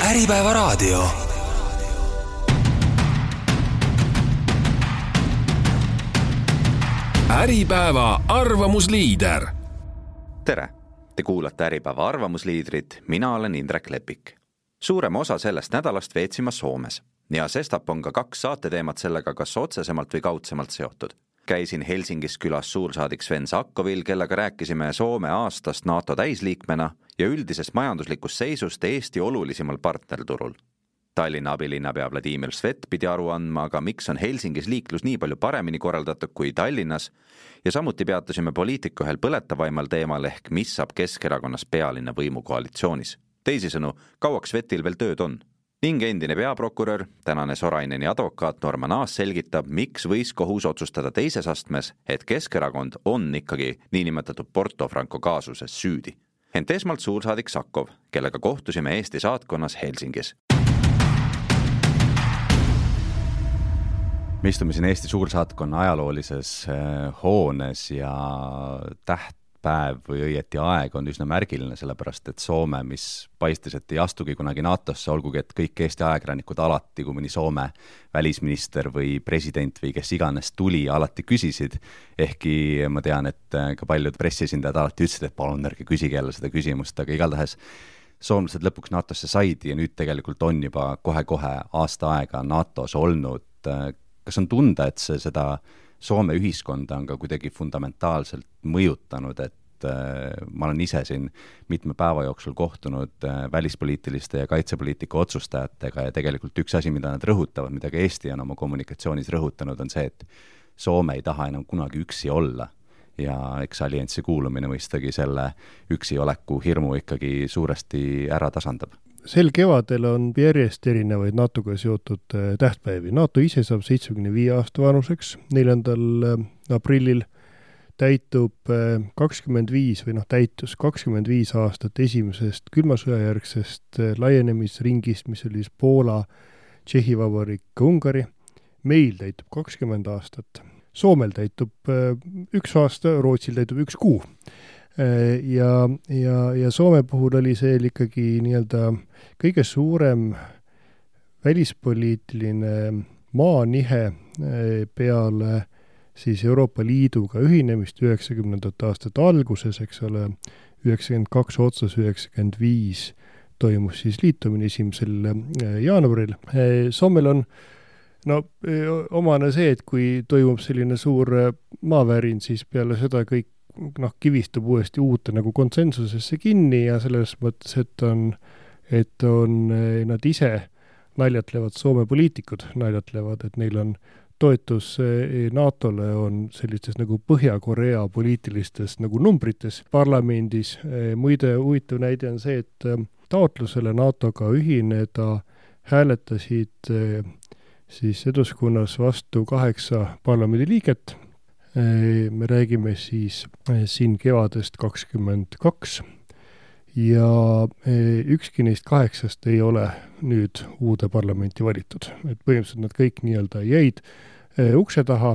Äripäeva raadio. Äripäeva arvamusliider. Tere! Te kuulate Äripäeva arvamusliidrit, mina olen Indrek Lepik. Suurema osa sellest nädalast veetsime Soomes ja sestap on ka 2 saateteemat sellega kas otsesemalt või kaudsemalt seotud. Käisin Helsingis külas suursaadik Sven Sakkovil, kellega rääkisime Soome aastast NATO täisliikmena ja üldisest majanduslikust seisust Eesti olulisemal partnerturul. Tallinna abilinnapea Vladimir Svet pidi aru andma, aga miks on Helsingis liiklus nii palju paremini korraldatud kui Tallinnas ja samuti peatusime poliitiku ühel põletavaimal teemal ehk mis saab Keskerakonnas pealinna võimukoalitsioonis. Teisisõnu, kauaks Svetil veel tööd on. Ning endine peaprokurör, tänane Soraineni advokaat Norman Aas selgitab, miks võis kohus otsustada teises astmes, et Keskerakond on ikkagi niinimetatud Porto Franco kaasuses süüdi. Ent esmalt suursaadik Sakkov, kellega kohtusime Eesti saatkonnas Helsingis. Me istume siin Eesti suursaatkonna ajaloolises hoones ja tähtpäev või õieti aeg on üsna märgiline, sellepärast et Soome, mis paistis, et ei astugi kunagi NATOsse, olgugi et kõik Eesti ajakirjanikud alati, kui mõni Soome välisminister või president või kes iganes tuli, alati küsisid, ehkki ma tean, et ka paljud pressiesindajad alati ütlesid, et palun ärge küsige jälle seda küsimust, aga igatahes soomlased lõpuks NATOsse said ja nüüd tegelikult on juba kohe-kohe aasta aega NATOs olnud. Kas on tunda, et seda Soome ühiskonda on ka kuidagi fundamentaalselt mõjutanud, et ma olen ise siin mitme päeva jooksul kohtunud välispoliitiliste ja kaitsepoliitika otsustajatega ja tegelikult üks asi, mida nad rõhutavad, mida ka Eesti on oma kommunikatsioonis rõhutanud, on see, et Soome ei taha enam kunagi üksi olla ja eks allianssi kuulumine mõistagi selle üksi oleku hirmu ikkagi suuresti ära tasandab. Sel kevadel on järjest erinevaid NATO-ga seotud tähtpäevi. NATO ise saab 75 aasta vanuseks. 4. aprillil täitub 25 täitus 25 aastat esimesest külmasõjajärgsest laienemisringist, mis oli Poola, Tšehhi Vabariik, Ungari. Meil täitub 20 aastat. Soomel täitub 1 aasta, Rootsil täitub 1 kuu. Ja Soome puhul oli see ikkagi nii-öelda kõige suurem välispoliitiline maanihe peale siis Euroopa Liiduga ühinemist 90. aastate alguses, eks ole, 92 otsas 95 toimus siis liitumine 1. jaanuaril. Soomel on omane see, et kui toimub selline suur maavärin, siis peale seda kõik kivistub uuesti uute nagu konsensusesse kinni ja selles mõttes, et nad ise naljatlevad, Soome poliitikud naljatlevad, et neil on toetus NATO-le on sellistes nagu Põhja-Korea poliitilistes nagu numbrites parlamendis. Muide, huvitav näide on see, et taotlusele NATO-ga ühineda hääletasid siis eduskunnas vastu 8 parlamendi liiget. Me räägime siis siin kevadest 22 ja ükski neist 8 ei ole nüüd uude parlamenti valitud. Et põhimõtteliselt nad kõik nii-öelda jäid ukse taha,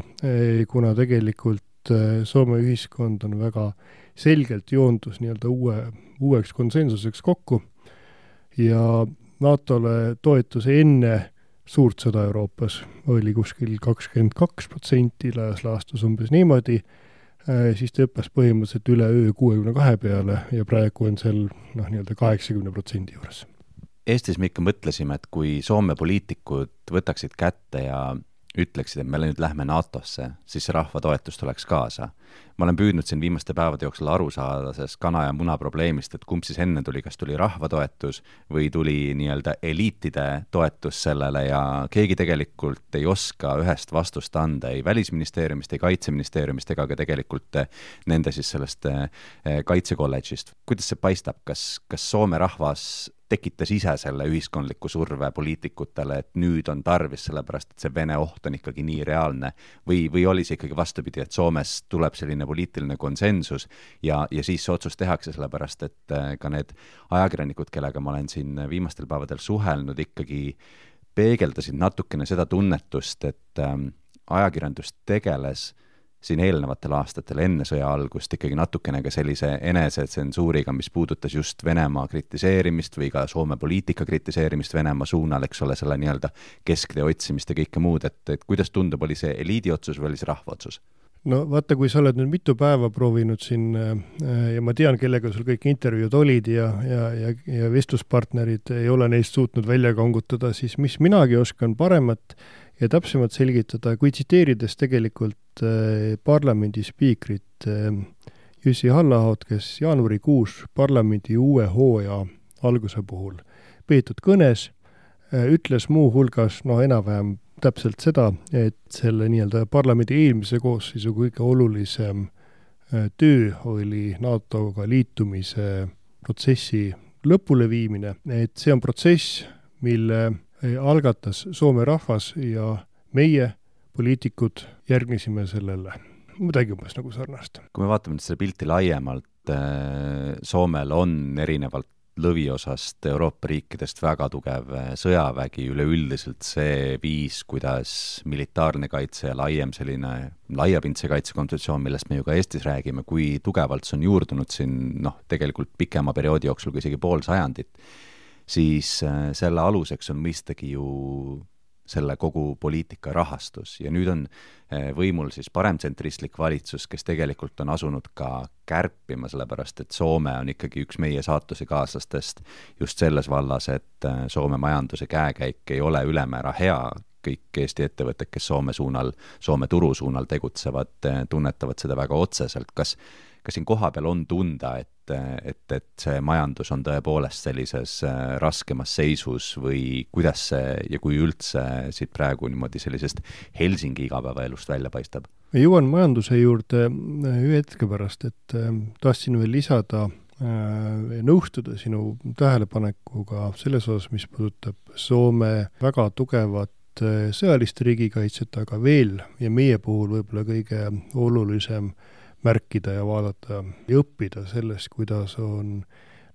kuna tegelikult Soome ühiskond on väga selgelt joondus nii-öelda uueks konsensuseks kokku ja NATO-le toetuse enne suurt sõda Euroopas oli kuskil 22%, laias laastus umbes niimoodi, siis tõppes põhimõtteliselt üle öö 62 peale ja praegu on seal nii-öelda 80% juures. Eestis me ikka mõtlesime, et kui Soome poliitikud võtaksid kätte ja ütleksid, et me nüüd lähme NATOsse, siis see rahva toetus tuleks kaasa. Ma olen püüdnud siin viimaste päevade jooksul aru saada sellest kana ja muna probleemist, et kumb siis enne tuli, kas tuli rahva toetus või tuli nii-öelda eliitide toetus sellele ja keegi tegelikult ei oska ühest vastust anda ei välisministeeriumist, ei kaitseministeeriumist ega ka tegelikult nende siis sellest kaitsekolledžist. Kuidas see paistab? Kas Soome rahvas tekitas ise selle ühiskondliku surve poliitikutele, et nüüd on tarvis sellepärast, et see Vene oht on ikkagi nii reaalne või oli see ikkagi vastupidi, et Soomes tuleb selline poliitiline konsensus ja siis see otsus tehakse sellepärast, et ka need ajakirjanikud, kellega ma olen siin viimastel päevadel suhelnud, ikkagi peegeldasid natukene seda tunnetust, et ajakirjandus tegeles siin eelnevatel aastatel enne sõja algust ikkagi natukene ka sellise enesetsensuuriga, mis puudutas just Venemaa kritiseerimist või ka Soome poliitika kritiseerimist Venemaa suunal, eks ole, selle nii-öelda kesktee otsimist ja kõike muud, et kuidas tundub, oli see eliidi otsus või oli see rahva otsus? No vaata, kui sa oled nüüd mitu päeva proovinud siin ja ma tean, kellega sul kõik intervjuud olid ja vestluspartnerid ei ole neist suutnud välja kangutada, siis mis minagi oskan paremat ja täpsemalt selgitada, kui tsiteerides tegelikult parlamendi spiikrit Jussi Halla-Ahot, kes jaanuarikuus parlamendi uue hooaja alguse puhul peetud kõnes ütles muu hulgas, enam-vähem täpselt seda, et selle nii-öelda parlamendi eelmise koosseisu kõige olulisem töö oli NATO-ga liitumise protsessi lõpuleviimine, et see on protsess, mille algatas Soome rahvas ja meie, poliitikud, järgnesime sellele. Midagi umbes nagu sarnast. Kui me vaatame nüüd selle pilti laiemalt, Soomel on erinevalt lõviosast Euroopa riikidest väga tugev sõjavägi, üleüldiselt see viis, kuidas militaarne kaitse ja laiem selline laiapindse kaitsekontseptsioon, millest me ju ka Eestis räägime, kui tugevalt see on juurdunud siin tegelikult pikema perioodi jooksul, kui isegi pool sajandit, siis selle aluseks on mõistagi ju selle kogu poliitika rahastus ja nüüd on võimul siis paremtsentristlik valitsus, kes tegelikult on asunud ka kärpima, sellepärast et Soome on ikkagi üks meie saatuse kaaslastest just selles vallas, et Soome majanduse käekäik ei ole ülemäära hea. Kõik Eesti ettevõtted, kes Soome turu suunal tegutsevad, tunnetavad seda väga otseselt. Kas siin kohapeal on tunda, et see majandus on tõepoolest sellises raskemas seisus või kuidas see ja kui üldse siit praegu niimoodi sellisest Helsingi igapäevaelust välja paistab? Jõuan majanduse juurde ühe hetke pärast, et tahtsin veel lisada nõustuda sinu tähelepanekuga selles osas, mis puudutab Soome väga tugevat sõjalist riigikaitset, aga veel ja meie puhul võib-olla kõige olulisem märkida ja vaadata ja õppida sellest, kuidas on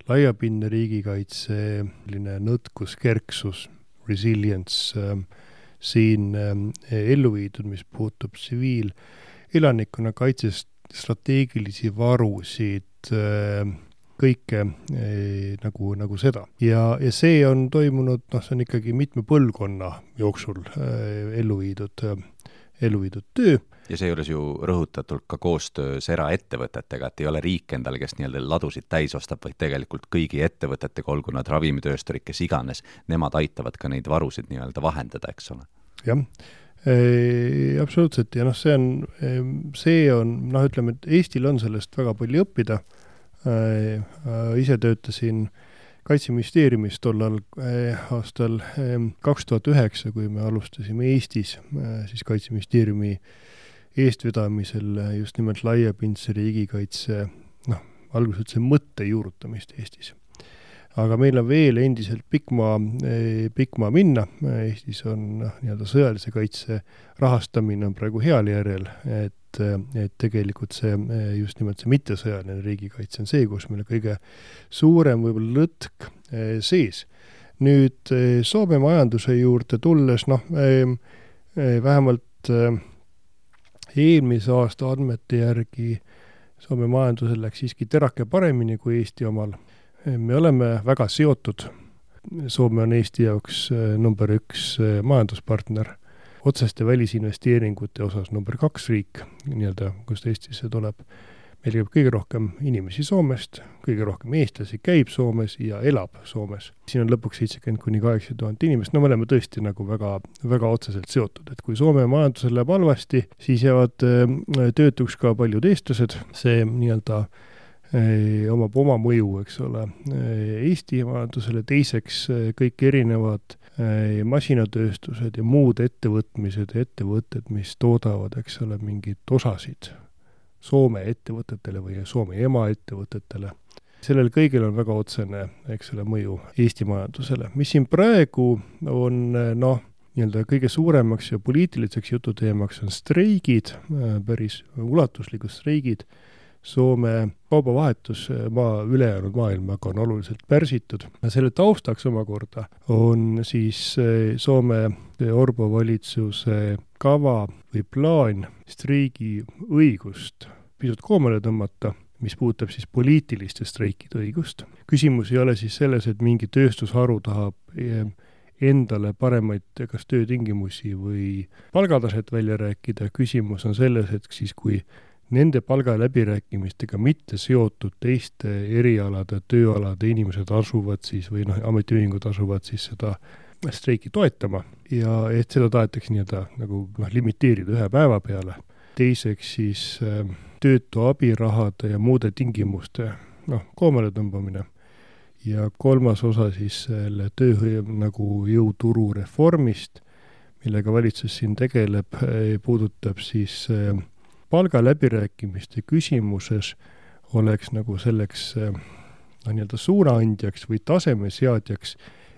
laiapindne riigikaitse, selline nõtkus, kerksus, resilience siin ellu viidud, mis puutub tsiviilelanikkonna kaitsest, strateegilisi varusid, kõike nagu seda. Ja see on toimunud, see on ikkagi mitme põlvkonna jooksul ellu viidud töö. Ja see juures ju rõhutatult ka koostöös eraettevõtetega, et ei ole riik endale, kes nii-öelda ladusid täis ostab, vaid tegelikult kõigi ettevõtetega, olgu nad ravimitöösturid, kes iganes, nemad aitavad ka neid varusid nii-öelda vahendada, eks ole? Jah, absoluutselt. Ja see on, ütleme, et Eestil on sellest väga palju õppida. Ise töötasin Kaitseministeeriumis tollal aastal 2009, kui me alustasime Eestis, siis Kaitseministeeriumi eestvedamisel just nimelt laiapindse riigikaitse, alguses üldse mõtte juurutamist Eestis. Aga meil on veel endiselt pikk maa minna. Eestis on nii-öelda sõjalise kaitse rahastamine on praegu heal järjel, et tegelikult see just nimelt see mittesõjaline riigikaitse on see, kus meil kõige suurem võib-olla lõtk sees. Nüüd Soome majanduse juurde tulles, vähemalt eelmise aasta andmete järgi Soome majandusel läks siiski terake paremini kui Eesti omal. Me oleme väga seotud. Soome on Eesti jaoks number 1 majanduspartner. Otseste välisinvesteeringute osas number 2 riik, nii-öelda, kust Eestisse tuleb. Meil käib kõige rohkem inimesi Soomest, kõige rohkem eestlasi käib Soomes ja elab Soomes. Siin on lõpuks 70,000–80 000 inimest. Me oleme tõesti nagu väga, väga otseselt seotud, et kui Soome majandusel läheb halvasti, siis jäävad töötuks ka paljud eestlased. See nii-öelda omab oma mõju, eks ole, Eesti majandusele. Teiseks kõik erinevad masinatööstused ja muud ettevõtmised ja ettevõtted, mis toodavad, eks ole, mingid osasid Soome ettevõtetele või Soome emaettevõtetele. Sellel kõigil on väga otsene, eks ole, mõju Eesti majandusele. Mis siin praegu on, nii-öelda kõige suuremaks ja poliitiliseks jututeemaks on streigid, päris ulatuslikud streigid Soome kaubavahetus ülejäänud maailmaga on oluliselt pärsitud. Selle taustaks omakorda on siis Soome Orpo valitsuse kava või plaan streigi õigust pisut koomale tõmmata, mis puudutab siis poliitiliste streikide õigust. Küsimus ei ole siis selles, et mingi tööstusharu tahab endale paremaid kas töötingimusi või palgataset välja rääkida. Küsimus on selles, et siis kui nende palgaläbirääkimistega mitte seotud teiste erialade, tööalade inimesed asuvad siis või ametiühingud asuvad siis seda streiki toetama ja et seda tahetakse nagu limiteerida 1 päeva peale. Teiseks siis töötu abirahade ja muude tingimuste koomale tõmbamine. Ja 3. osa siis selle nagu jõuturu reformist, millega valitsus siin tegeleb, puudutab siis palgaläbirääkimiste küsimuses oleks nagu selleks suunaandjaks või tasemeseadjaks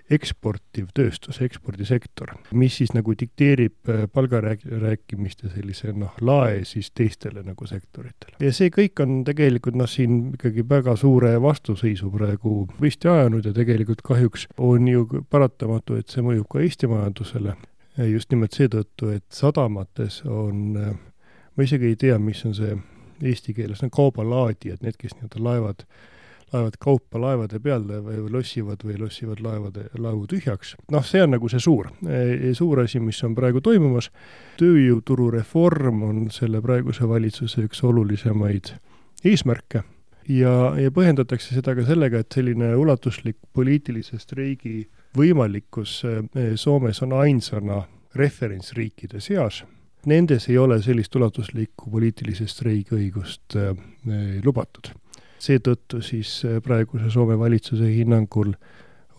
eksportiv tööstus, ekspordisektor, mis siis nagu dikteerib palgarääkimiste sellise lae siis teistele nagu sektoritele. Ja see kõik on tegelikult siin ikkagi väga suure vastuseisu praegu püsti ajanud ja tegelikult kahjuks on ju paratamatu, et see mõjub ka Eesti majandusele. Just nimelt seetõttu, et sadamates on ma isegi ei tea, mis on see eesti keeles, kaubalaadijad, need, kes laevad kaupa laevade peale või lossivad laevu tühjaks. See on nagu see suur asi, mis on praegu toimumas. Tööjõuturu reform on selle praeguse valitsuse üks olulisemaid eesmärke ja põhjendatakse seda ka sellega, et selline ulatuslik poliitilise streigi võimalikkus Soomes on ainsana referentsriikide seas. Nendes ei ole sellist ulatuslikku poliitilise streigi õigust lubatud. Seetõttu siis praeguse Soome valitsuse hinnangul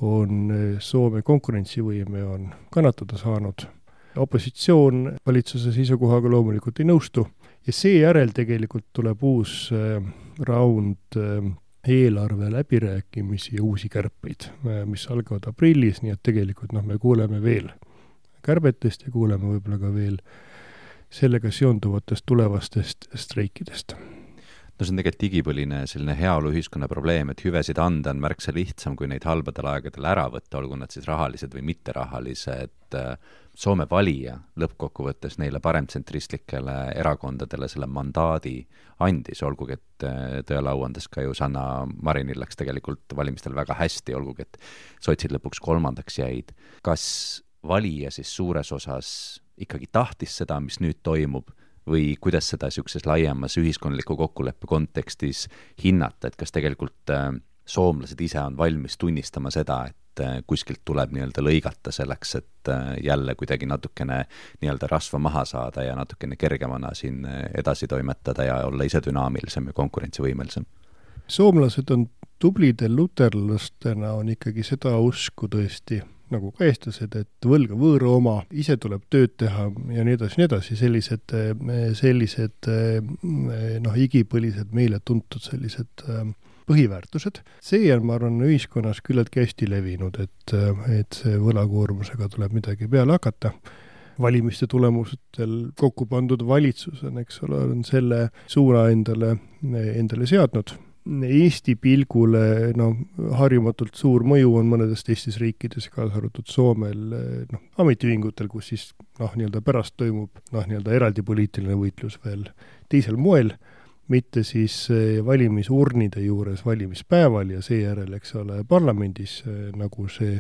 on Soome konkurentsivõime on kannatada saanud. Opositsioon valitsuse seisukohaga loomulikult ei nõustu ja seejärel tegelikult tuleb uus raund eelarve läbirääkimisi ja uusi kärpeid, mis algavad aprillis, nii et tegelikult me kuuleme veel kärbetest ja kuuleme võib-olla ka veel sellega seonduvatest tulevastest streikidest. See on tegelikult igipõline selline heaoluühiskonna probleem, et hüvesid anda on märksa lihtsam, kui neid halbadel aegadel ära võtta, olgu nad siis rahalised või mitterahalised. Soome valija lõppkokkuvõttes neile paremtsentristlikele erakondadele selle mandaadi andis, olgugi et tõelauandes ka ju Sanna Marinil läks tegelikult valimistel väga hästi, olgugi et sotsid lõpuks 3. jäid. Kas valija siis suures osas ikkagi tahtis seda, mis nüüd toimub, või kuidas seda niisuguses laiemas ühiskondliku kokkuleppe kontekstis hinnata, et kas tegelikult soomlased ise on valmis tunnistama seda, et kuskilt tuleb lõigata selleks, et jälle kuidagi natukene rasva maha saada ja natukene kergemana siin edasi toimetada ja olla ise dünaamilisem ja konkurentsivõimelisem? Soomlased on tublidel luterlastena on ikkagi seda usku tõesti, nagu ka eestlased, et võlga võõra oma, ise tuleb tööd teha ja nii edasi, sellised igipõlised meile tuntud sellised põhiväärtused. See on, ma arvan, ühiskonnas küllaltki hästi levinud, et see võlakoormusega tuleb midagi peale hakata. Valimiste tulemustel kokku pandud valitsus on, on selle suuna endale seadnud. Eesti pilgule harjumatult suur mõju on mõnedes teistes riikides, kaasa arvatud Soomel, ametiühingutel, kus siis pärast toimub eraldi poliitiline võitlus veel teisel moel, mitte siis valimisurnide juures valimispäeval ja seejärel, parlamendis, nagu see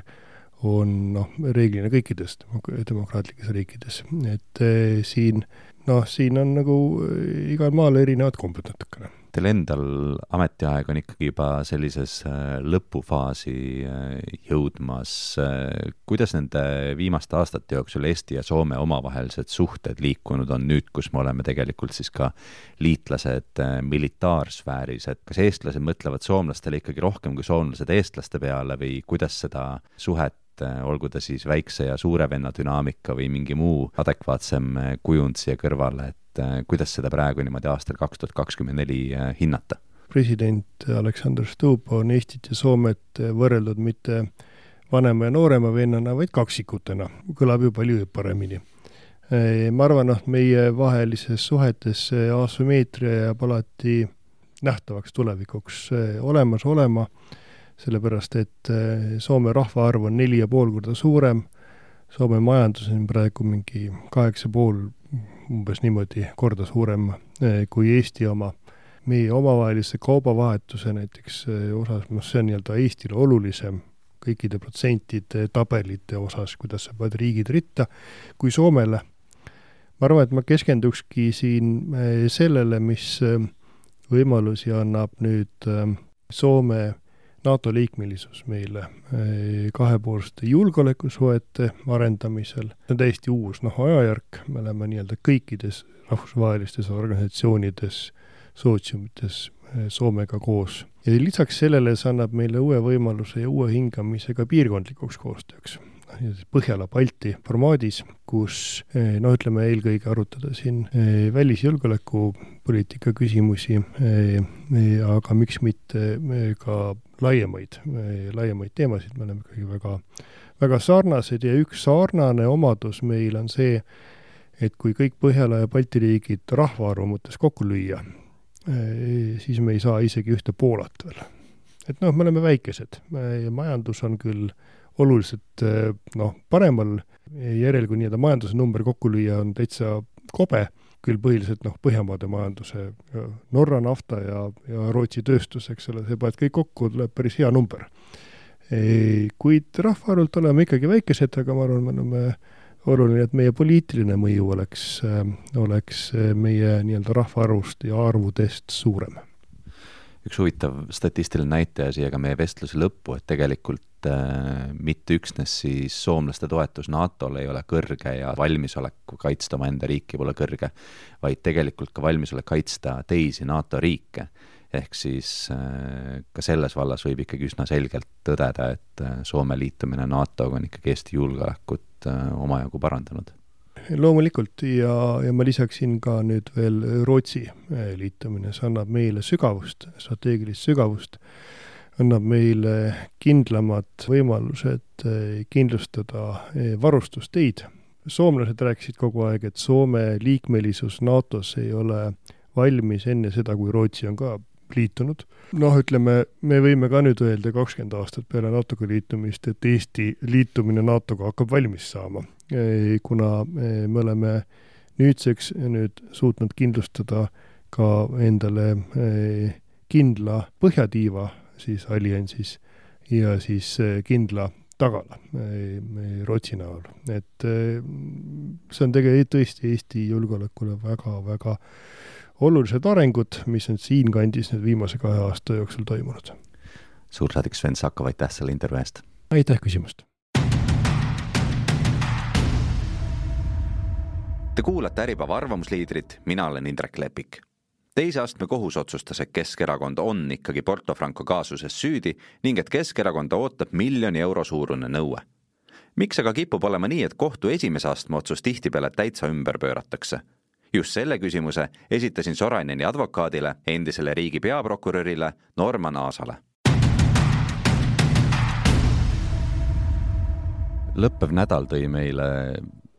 on reeglina kõikides demokraatlikes riikides. Et siin on nagu igal maal erinevad kombed natukene. Teil endal ametiaeg on ikkagi juba sellises lõpufaasi jõudmas. Kuidas nende viimaste aastate jooksul Eesti ja Soome omavahelised suhted liikunud on nüüd, kus me oleme tegelikult siis ka liitlased militaarsfääris, et kas eestlased mõtlevad soomlastele ikkagi rohkem kui soomlased eestlaste peale või kuidas seda suhet, olgu ta siis väikse ja suure venna dünaamika või mingi muu adekvaatsem kujund siia kõrvale, et kuidas seda praegu niimoodi aastal 2024 hinnata? President Alexander Stubb on Eestit ja Soomet võrreldud mitte vanema ja noorema vennana, vaid kaksikutena. Kõlab ju palju paremini. Ma arvan, meie vahelises suhetes asümmeetria jääb alati nähtavaks tulevikuks olemas olema, sellepärast et Soome rahvaarv on 4,5 korda suurem, Soome majandus on praegu mingi 8,5 umbes niimoodi korda suurem kui Eesti oma. Meie omavahelise kaubavahetuse näiteks osas, see on Eestile olulisem kõikide protsentide tabelite osas, kuidas sa pead riigid ritta, kui Soomele. Ma arvan, et ma keskendukski siin sellele, mis võimalusi annab nüüd Soome NATO liikmelisus meile kahepoolsete julgeolekusuhete arendamisel. See on täiesti uus ajajärk, me oleme kõikides rahvusvahelistes organisatsioonides, sootsiumites Soomega koos. Ja lisaks sellele see annab meile uue võimaluse ja uue hingamise ka piirkondlikuks koostööks. Põhjala-Balti formaadis, kus ütleme eelkõige arutada siin välisjulgeolekupoliitika küsimusi, aga miks mitte ka laiemaid teemasid. Me oleme ikkagi väga, väga sarnased ja üks sarnane omadus meil on see, et kui kõik Põhjala ja Balti riigid rahvaarvu mõttes kokku lüüa, siis me ei saa isegi ühte Poolat veel. Et me oleme väikesed. Majandus on küll oluliselt paremal järel, kui majanduse number kokku lüüa on täitsa kobe, küll põhiliselt Põhjamaade majanduse, Norra nafta ja Rootsi tööstus, eks ole, see kõik kokku tuleb päris hea number. Kuid rahvaarvult oleme ikkagi väikesed, aga ma arvan, me oleme oluline, et meie poliitiline mõju oleks meie rahvaarvust ja arvudest suurem. Üks huvitav statistiline näitaja siia ka meie vestluse lõppu, et tegelikult mitte üksnes siis soomlaste toetus NATO-le ei ole kõrge ja valmisolek kaitsta oma enda riiki pole kõrge, vaid tegelikult ka valmisolek kaitsta teisi NATO riike. Ehk siis ka selles vallas võib ikkagi üsna selgelt tõdeda, et Soome liitumine NATO-ga on ikkagi Eesti julgeolekut omajagu parandanud. Loomulikult ja ma lisaksin ka nüüd veel Rootsi liitumine. See annab meile sügavust, strateegilist sügavust, annab meile kindlamad võimalused kindlustada varustusteid. Soomlased rääkisid kogu aeg, et Soome liikmelisus NATO-s ei ole valmis enne seda, kui Rootsi on ka liitunud. Ütleme, me võime ka nüüd öelda 20 aastat peale NATO-ga liitumist, et Eesti liitumine NATO-ga hakkab valmis saama, kuna me oleme nüüdseks suutnud kindlustada ka endale kindla põhjatiiva siis alliansis ja siis kindla tagala Rootsi näol. Et see on tegelikult tõesti Eesti julgeolekule väga, väga olulised arengud, mis on siin kandis nüüd viimase 2 aasta jooksul toimunud. Suursaadik Sven Sakov, aitäh selle intervjuu eest. Aitäh küsimust. Te kuulate Äripäeva arvamusliidrit, mina olen Indrek Lepik. Teise astme kohus otsustas, et Keskerakond on ikkagi Porto Franco kaasuses süüdi ning et Keskerakonda ootab 1 000 000 euro suurune nõue. Miks aga kipub olema nii, et kohtu esimese astme otsus tihtipeale täitsa ümber pööratakse? Just selle küsimuse esitasin Soraineni advokaadile, endisele riigi peaprokurörile Norman Aasale. Lõppev nädal tõi meile,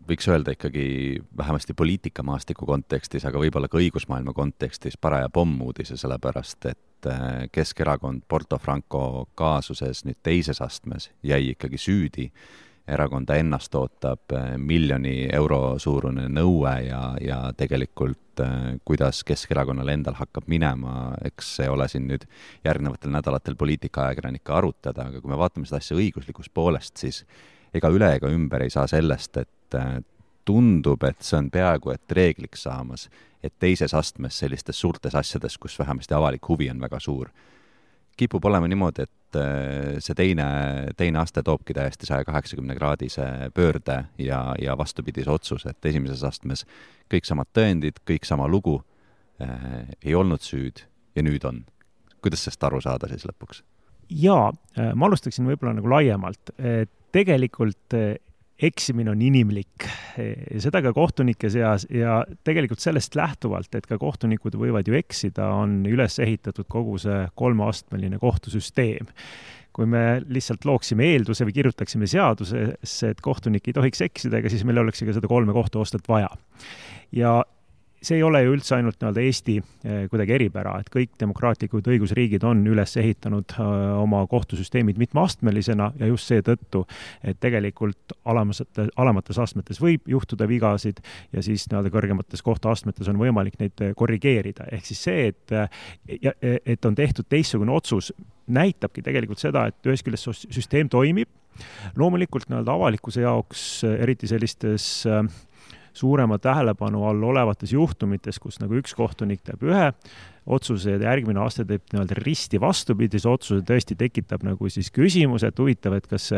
võiks öelda ikkagi vähemasti poliitikamaastiku kontekstis, aga võib-olla ka õigusmaailma kontekstis paraja pommuudise, sellepärast et Keskerakond Porto Franco kaasuses nüüd teises astmes jäi ikkagi süüdi. Erakonda ennast ootab 1 000 000 euro suurune nõue ja tegelikult kuidas Keskerakonnal endal hakkab minema, eks see ole siin nüüd järgnevatel nädalatel poliitikaajakirjanikka arutada, aga kui me vaatame seda asja õiguslikust poolest, siis ega üle ega ümber ei saa sellest, et tundub, et see on peaaegu et reegliks saamas, et teises astmes sellistes suurtes asjades, kus vähemasti avalik huvi on väga suur, kipub olema niimoodi, et see teine aste toobki täiesti 180-kraadise pöörde ja vastupidise otsus, et esimeses astmes kõik samad tõendid, kõik sama lugu, ei olnud süüd ja nüüd on. Kuidas sellest aru saada siis lõpuks? Jaa, ma alustaksin võib-olla laiemalt. Tegelikult eksimine on inimlik, seda ka kohtunike seas ja tegelikult sellest lähtuvalt, et ka kohtunikud võivad ju eksida, on üles ehitatud kogu see 3-astmeline kohtusüsteem. Kui me lihtsalt looksime eelduse või kirjutaksime seadusesse, et kohtunik ei tohiks eksida, ega siis meil oleks ka seda 3 kohtuastet vaja. Ja see ei ole ju üldse ainult nii-öelda Eesti kuidagi eripära, et kõik demokraatlikud õigusriigid on üles ehitanud oma kohtusüsteemid mitmeastmelisena ja just seetõttu, et tegelikult alamates astmetes võib juhtuda vigasid ja siis nii-öelda kõrgemates kohtuastmetes on võimalik neid korrigeerida. Ehk siis see, et on tehtud teistsugune otsus, näitabki tegelikult seda, et ühest küljest süsteem toimib. Loomulikult nii-öelda avalikkuse jaoks, eriti sellistes suurema tähelepanu all olevates juhtumites, kus nagu üks kohtunik teeb ühe otsuse ja järgmine aasta teeb nii-öelda risti vastupidise otsuse, tõesti tekitab nagu siis küsimuse, et huvitav, et kas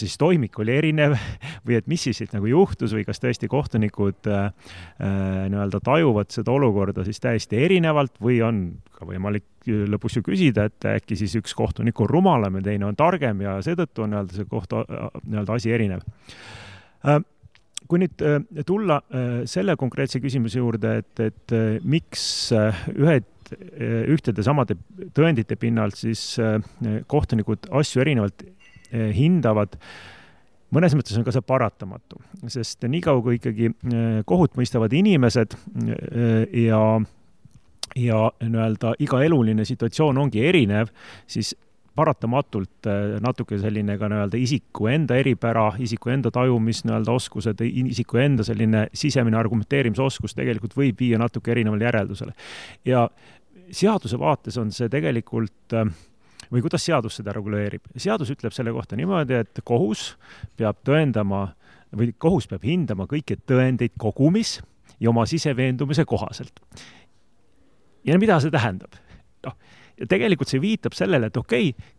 siis toimik oli erinev või et mis siis nagu juhtus või kas tõesti kohtunikud nii-öelda tajuvad seda olukorda siis täiesti erinevalt või on ka võimalik lõpus ju küsida, et äkki siis üks kohtunik on rumalam ja teine on targem ja seetõttu on nii-öelda see nii-öelda asi erinev. Kui nüüd tulla selle konkreetse küsimuse juurde, et miks ühtede samade tõendite pinnalt siis kohtunikud asju erinevalt hindavad, mõnes mõttes on ka see paratamatu, sest nii kaua kui ikkagi kohut mõistavad inimesed ja nii-öelda iga eluline situatsioon ongi erinev, siis paratamatult natuke selline ka nii-öelda isiku enda eripära, isiku enda tajumis nii-öelda oskused, isiku enda selline sisemine argumenteerimisoskus tegelikult võib viia natuke erinevale järeldusele. Ja seaduse vaates on see tegelikult, või kuidas seadus seda reguleerib? Seadus ütleb selle kohta niimoodi, et kohus peab tõendama või kohus peab hindama kõiki tõendeid kogumis ja oma siseveendumise kohaselt. Ja mida see tähendab? Ja tegelikult see viitab sellele, et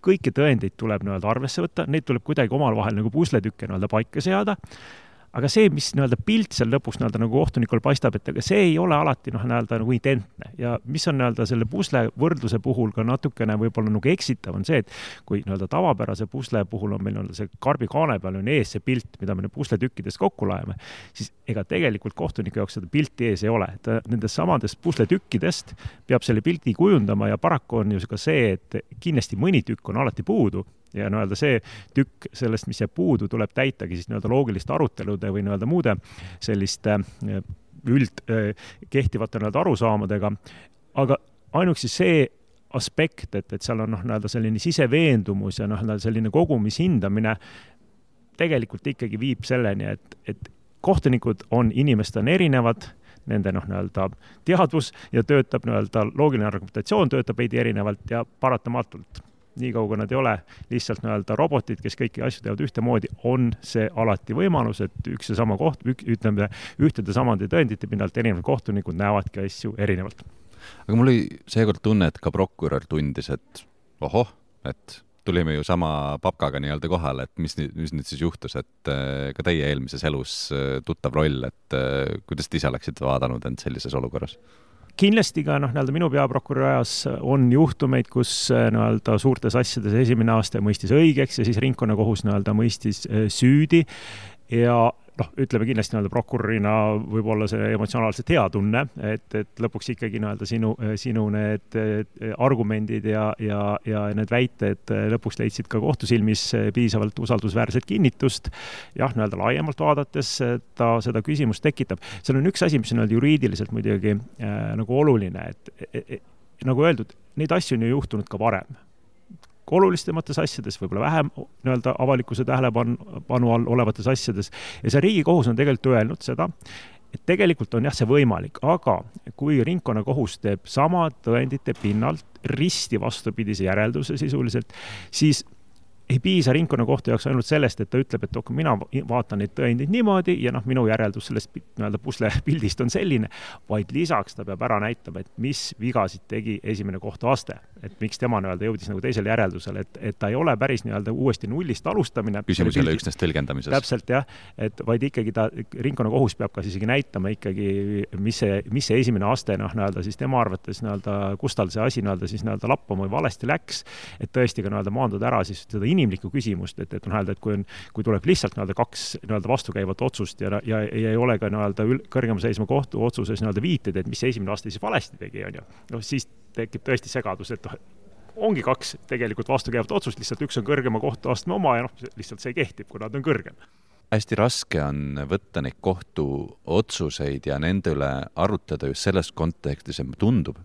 kõiki tõendeid tuleb nii-öelda arvesse võtta, neid tuleb kuidagi omal vahel nagu pusletükke nii-öelda paika seada, aga see, mis nii-öelda pilt seal lõpuks nii-öelda nagu kohtunikul paistab, et see ei ole alati nii-öelda nagu identne. Ja mis on nii-öelda selle pusle võrdluse puhul ka natukene võib-olla nagu eksitav on see, et kui nii-öelda tavapärase pusle puhul on meil see karbi kaane peal on ees see pilt, mida me pusletükkidest kokku laeme, siis ega tegelikult kohtuniku jaoks seda pilti ees ei ole. Nendest samadest pusletükkidest peab selle pilti kujundama ja paraku on ju ka see, et kindlasti mõni tükk on alati puudu. Ja nii-öelda see tükk sellest, mis jääb puudu, tuleb täitagi siis nii-öelda loogiliste arutelude või nii-öelda muude selliste kehtivate nii-öelda arusaamadega. Aga ainuks siis see aspekt, et seal on nii-öelda selline siseveendumus ja nii-öelda selline kogumishindamine tegelikult ikkagi viib selleni, et kohtunikud on inimestena erinevad, nende nii-öelda teadvus ja töötab nii-öelda loogiline argumentatsioon töötab veidi erinevalt ja paratamatult. Nii kaugu nad ei ole lihtsalt nii-öelda robotid, kes kõiki asju teevad ühtemoodi, on see alati võimalus, et üks ja sama ühtede samade tõendite pinnalt erinevad kohtunikud näevadki asju erinevalt. Aga mul oli seekord tunne, et ka prokurör tundis, et et tulime ju sama papkaga nii-öelda kohale, et mis nüüd siis juhtus, et ka teie eelmises elus tuttav roll, et kuidas te ise oleksite vaadanud end sellises olukorras? Kindlasti ka nii-öelda minu peaprokuröri ajas on juhtumeid, kus nii-öelda suurtes asjades esimene aasta mõistis õigeks ja siis ringkonnakohus nii-öelda mõistis süüdi ja ütleme kindlasti nii-öelda prokurörina võib-olla see emotsionaalselt hea tunne, et lõpuks ikkagi nii-öelda sinu need argumendid ja need väited lõpuks leidsid ka kohtusilmis piisavalt usaldusväärset kinnitust. Jah, nii-öelda laiemalt vaadates seda küsimust tekitab. Seal on üks asi, mis on juriidiliselt muidugi nagu oluline, et nagu öeldud, neid asju on ju juhtunud ka varem. Olulistemates asjades, võib-olla vähem nii-öelda avalikkuse tähelepanu all olevates asjades. Ja see Riigikohus on tegelikult öelnud seda, et tegelikult on see võimalik, aga kui ringkonnakohus teeb sama tõendite pinnalt risti vastupidise järelduse sisuliselt, siis ei piisa ringkonnakohtu jaoks ainult sellest, et ta ütleb, et mina vaatan neid tõendeid niimoodi ja minu järeldus sellest nii-öelda pusle pildist on selline, vaid lisaks ta peab ära näitama, et mis vigasid tegi esimene kohtuaste, et miks tema nii-öelda jõudis nagu teisele järeldusele, et ta ei ole päris nii-öelda uuesti nullist alustamine. Küsimus ei ole üksnes tõlgendamises. Täpselt jah, et vaid ikkagi ringkonnakohus peab ka isegi näitama ikkagi, mis see esimene aste nii-öelda siis tema arvates nii-öelda kus tal see asi nii-öelda siis nii-öelda lappama või valesti läks, et tõesti ka nii-öelda maandada ära siis seda inimlikku küsimust, et kui tuleb lihtsalt nii-öelda kaks nii-öelda vastukäivat otsust ja ei ole ka nii-öelda kõrgema seisma kohtu otsuses nii-öelda viited, et mis see esimene aste siis valesti tegi, on ju. Siis tekib tõesti segadus, et ongi kaks tegelikult vastukäivat otsust, lihtsalt üks on kõrgema kohtuastme oma ja lihtsalt see kehtib, kui nad on kõrgem. hästi raske on võtta neid kohtuotsuseid ja nende üle arutleda just selles kontekstis, et tundub,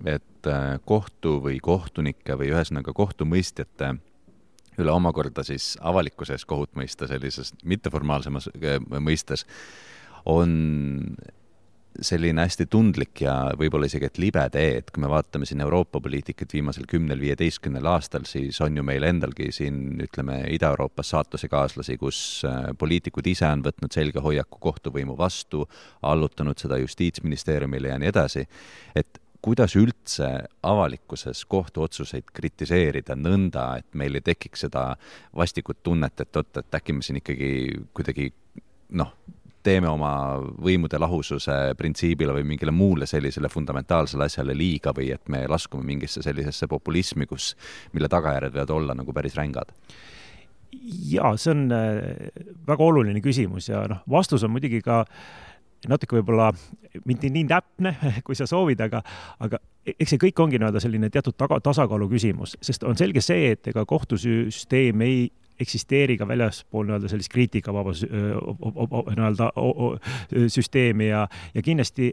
et kohtu või kohtunike või ühesõnaga kohtumõistjate üle omakorda siis avalikkuses kohut mõista sellises mitteformaalsemas mõistes on selline hästi tundlik ja võib-olla isegi et libe tee, et kui me vaatame siin Euroopa poliitikat viimasel 10-15 aastal, siis on ju meil endalgi siin, ütleme, Ida-Euroopas saatusekaaslasi, kus poliitikud ise on võtnud selge hoiaku kohtuvõimu vastu, allutanud seda justiitsministeeriumile ja nii edasi, et kuidas üldse avalikkuses kohtuotsuseid kritiseerida nõnda, et meil ei tekiks seda vastikut tunnet, et äkki me siin ikkagi kuidagi teeme oma võimude lahususe printsiibile või mingile muule sellisele fundamentaalsele asjale liiga või et me laskume mingisse sellisesse populismi, mille tagajärjed võivad olla nagu päris rängad? Jaa, see on väga oluline küsimus ja vastus on muidugi ka natuke võib-olla mitte nii täpne, kui sa soovid, aga eks see kõik ongi selline teatud tasakaalu küsimus, sest on selge see, et ega kohtusüsteem ei eksisteeri ka väljaspool sellist kriitikavaba süsteemi ja kindlasti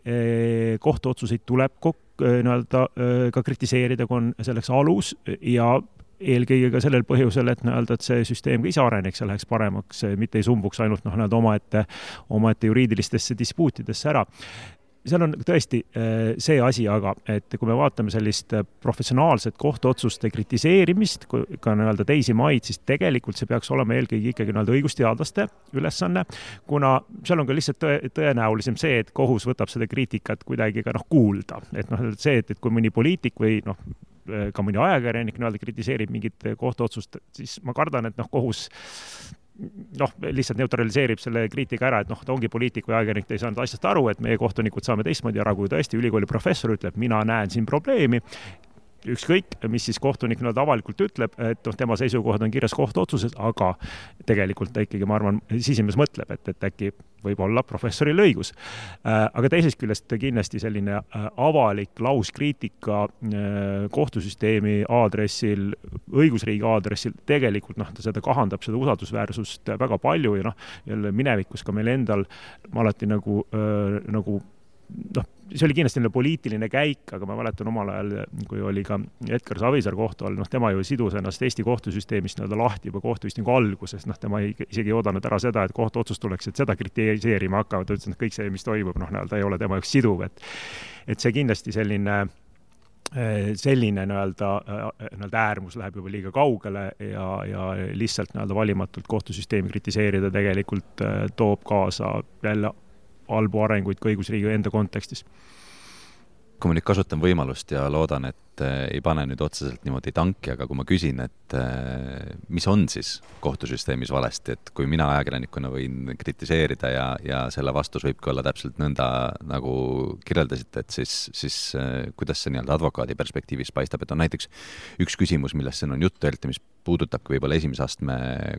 kohtuotsuseid tuleb ka kritiseerida, kui on selleks alus ja eelkõige ka sellel põhjusel, et see süsteem ka ise areneks ja läheks paremaks, mitte ei sumbuks ainult omaette juriidilistesse dispuutidesse ära. Seal on tõesti see asi, aga et kui me vaatame sellist professionaalset kohtuotsuste kritiseerimist, ka teisi maid, siis tegelikult see peaks olema eelkõige ikkagi õigusteadlaste ülesanne, kuna seal on ka lihtsalt tõenäolisem see, et kohus võtab seda kriitikat kuidagi ka kuulda. Et see, et kui mõni poliitik või ka mõni ajakirjanik kritiseerib mingit kohtuotsust, siis ma kardan, et kohus lihtsalt neutraliseerib selle kriitika ära, et ta ongi poliitik või ajakirjanik, ta ei saanud asjast aru, et meie kohtunikud saame teistmoodi ära, kui tõesti ülikooli professor ütleb, mina näen siin probleemi, ükskõik, mis siis kohtunik avalikult ütleb, et tema seisukohad on kirjas kohtuotsuses, aga tegelikult ta ikkagi, ma arvan, sisimas mõtleb, et äkki võib olla professoril õigus. Aga teisest küljest kindlasti selline avalik lauskriitika kohtusüsteemi aadressil, õigusriigi aadressil, tegelikult seda kahandab seda usaldusväärsust väga palju ja jälle minevikus ka meil endal ma alati see oli kindlasti poliitiline käik, aga ma mäletan omal ajal, kui oli ka Edgar Savisaar kohtu all, tema ju sidus ennast Eesti kohtusüsteemist lahti juba kohtuistingu alguses, tema isegi ei oodanud ära seda, et kohtuotsus tuleks, et seda kritiseerima hakkavad, ta ütles, et kõik see, mis toimub, ei ole tema üks siduv, et see kindlasti selline äärmus läheb juba liiga kaugele ja lihtsalt valimatult kohtusüsteemi kritiseerida tegelikult toob kaasa jälle halbu arenguid ka õigusriigi enda kontekstis. Kui ma nüüd kasutan võimalust ja loodan, et ei pane nüüd otseselt niimoodi tanki, aga kui ma küsin, et mis on siis kohtusüsteemis valesti, et kui mina ajakirjanikuna võin kritiseerida ja selle vastus võibki olla täpselt nõnda, nagu kirjeldasite, et siis kuidas see advokaadi perspektiivis paistab, et on näiteks üks küsimus, millest siin on juttu öeldi, mis puudutabki võib-olla esimese astme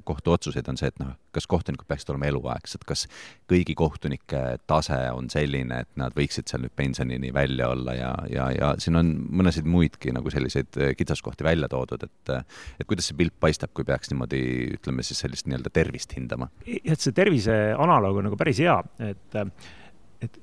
kohtuotsuseid, on see, et kas kohtunikud peaksid olema eluaegsed, kas kõigi kohtunike tase on selline, et nad võiksid seal nüüd pensionini välja olla ja siin on mõnesid muidki nagu selliseid kitsaskohti välja toodud, et kuidas see pilt paistab, kui peaks niimoodi, ütleme siis sellist tervist hindama? Et see tervise analoog on päris hea, et